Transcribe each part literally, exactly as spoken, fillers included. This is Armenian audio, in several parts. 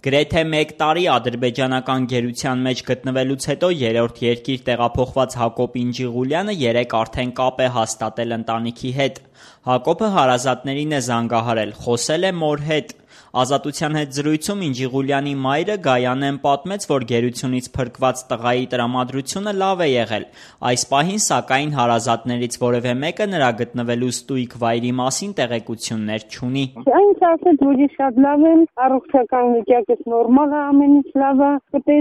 Գրեթե մեկ տարի ադրբեջանական գերության մեջ գտնվելուց հետո երրորդ երկիր տեղափոխված Հակոբ Ինջիղուլյանը երեկ արդեն կապ է հաստատել ընտանիքի հետ։ Հակոբը հարազատներին է զանգահարել, խոսել է մոր հետ։ Ազատության հետ զրույցում Ինջիղուլյանի մայրը Գայանեն պատմեց, որ գերությունից փրկված տղայի տրամադրությունը լավ է եղել։ Այս պահին, սակայն, հարազատներից որևէ մեկը նրա գտնվելու ստույգ վայրի մասին տեղեկություններ չունի։ Այնց ասեց, որ շատ լավ են, առողջական վիճակը նորմալ է, ամեն ինչ լավ է,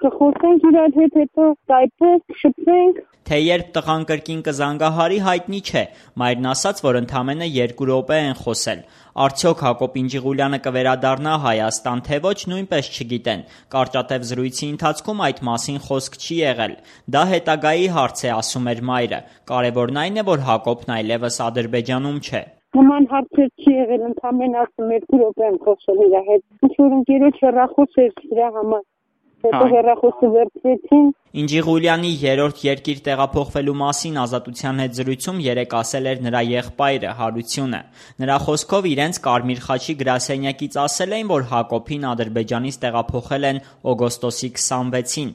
կխոսենք իրար հետ, հետո կայփենք, շփվենք։ Թե երբ տղան կրկին կզանգահարի, հայտնի չէ։ Մայրն ասաց, որ ընդամենը երկու րոպե են խոսել։ Արդյոք Հակոբ Ինջիղուլյանը կվերադառնա Հայաստան, թե ոչ, նույնպես չգիտեն։ Կարճատև զրույցի ընթացքում այդ մասին խոսք չի եղել։ Դա հետագայի հարց է, ասում էր մայրը։ Կարևորն այն է, որ Հակոբն այլևս Ադրբեջանում չէ։ Նման հարցեր չի եղել, ընդամենը ասում երկու րոպե եմ խոսել իր հետ։ Ինչ-որ ընկերոջ հեռախոս էր դրա համար։ Հետո հեռախոսը վերցրեցին։ Ինջիղուլյանի երրորդ երկիր տեղափոխվելու մասին Ազատության հետ զրույցում երեկ ասել էր նրա եղբայրը Հարությունը։ Նրա խոսքով իրենց Կարմիր խաչի գրասենյակից ասել էին, որ Հակոբին Ադրբեջանից տեղափոխել են օգոստոսի քսանվեցին։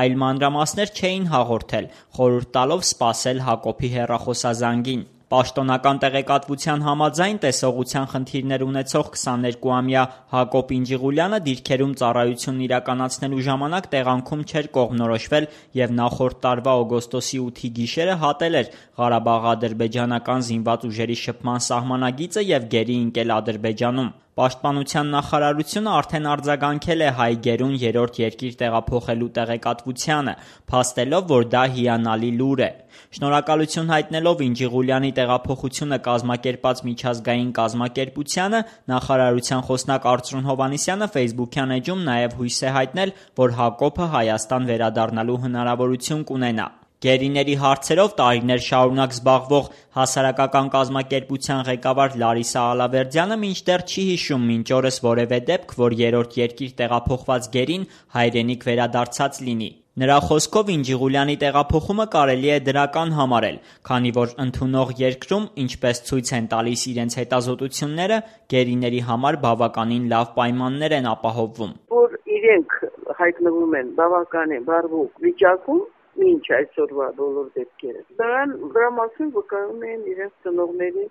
Այլ մանրամասներ չէին հաղորդել, խորհուրդ տալով սպասել Հակոբի հեռախոսազանգին։ Պաշտոնական տեղեկատվության համաձայն տեսողության խնդիրներ ունեցող քսաներկուամյա Հակոբ Ինջիղուլյանը դիրքերում ծառայություն իրականացնելու ժամանակ տեղանքում չէր կողմնորոշվել և նախորդ տարվա օգոստոսի ութի գիշերը հատել էր Ղարաբաղ-ադրբեջանական զինված ուժերի շփման սահմանագիծը և գերի ընկել Ադրբեջանում։ Պաշտպանության նախարարությունը արդեն արձագանքել է հայ գերուն երրորդ երկիր տեղափոխելու տեղեկատվությանը, փաստելով, որ դա հիանալի լուր է։ Շնորհակալություն հայտնելով Ինջիղուլյանի տեղափոխությունը կազմակերպած միջազգային կազմակերպությանը, նախարարության խոսնակ Արծրուն Հովհաննիսյանը ֆեյսբուքյան էջում նաև հույս է հայտնել, որ Հակոբը Հայաստան վերադառնալու հնարավորություն կունենա։ Գերիների հարցերով տարիներ շարունակ զբաղվող հասարակական կազմակերպության ղեկավար Լարիսա Ալավերդյանը մինչդեռ չի հիշում մինչ օրս որևէ դեպք, որ երրորդ երկիր տեղափոխված գերին հայրենիք վերադարձած լինի։ Նրա խոսքով Ինջիղուլյանի տեղափոխումը կարելի է դրական համարել, քանի որ ընդունող երկրում, ինչպես ցույց են տալիս իրենց հետազոտությունները, գերիների համար բավականին լավ պայմաններ են ապահովվում։ Որ իրենք հայտնվում են բավականին բարվոք վիճակում, ինչ այսօրվա բոլոր դեպքերը։ Դրան դրա մասին վկայում են իրենց ծնողների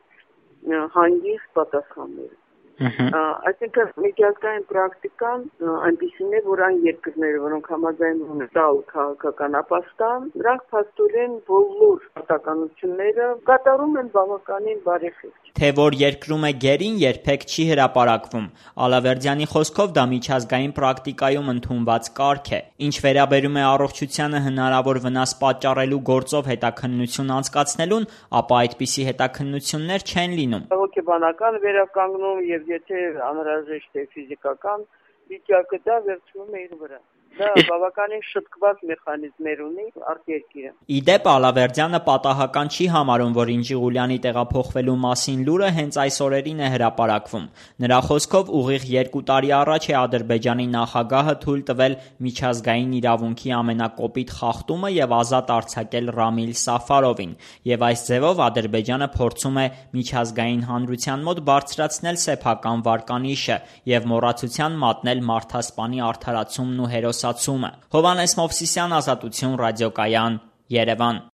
հանգիստ պատասխանները։ Այսինքն միջազգային պրակտիկան այնպիսին է, որ այն երկրները, որոնք համաձայնում են տալ քաղաքական ապաստան, նրանք փաստորեն բոլոր պատկանությունները կատարում են բավականին բարեխիղճ։ Թե որ երկրում է գերին, երբեք չի հրապարակվում։ Ալավերդյանի խոսքով դա միջազգային պրակտիկայում ընդունված կարգ է։ Ինչ վերաբերում է առողջությանը հնարավոր վնաս պատճառելու գործով հետաքննություն անցկացնելուն, ապա այդպիսի հետաքննություններ չեն լինում։ Հոգեբանական վերականգնում եւ եթե անհրաժեշտ է ֆիզիկական վիճակը, դա վերցնում է իր վրա։ Դա բավականին շտկված մեխանիզմներ ունի արտերկիրը։ Իդեպ Ալավերդյանը պատահական չի համարում, որ Ինջիղուլյանի տեղափոխվելու մասին լուրը հենց այս օրերին է հրապարակվում։ Նրա խոսքով ուղիղ երկու տարի առաջ է Ադրբեջանի նախագահը թույլ տվել միջազգային իրավունքի ամենակոպիտ խախտումը եւ ազատ արձակել Ռամիլ Սաֆարովին, եւ այս ձևով Ադրբեջանը փորձում է միջազգային հանրության մոտ բարձրացնել սեփական վարկանիշը եւ մոռացության մատնել մարդասպանի արդարացումն ու հերոսացումը։ Հովհաննես Մովսիսյան, Ազատություն, Ռադիոկայան, Երևան։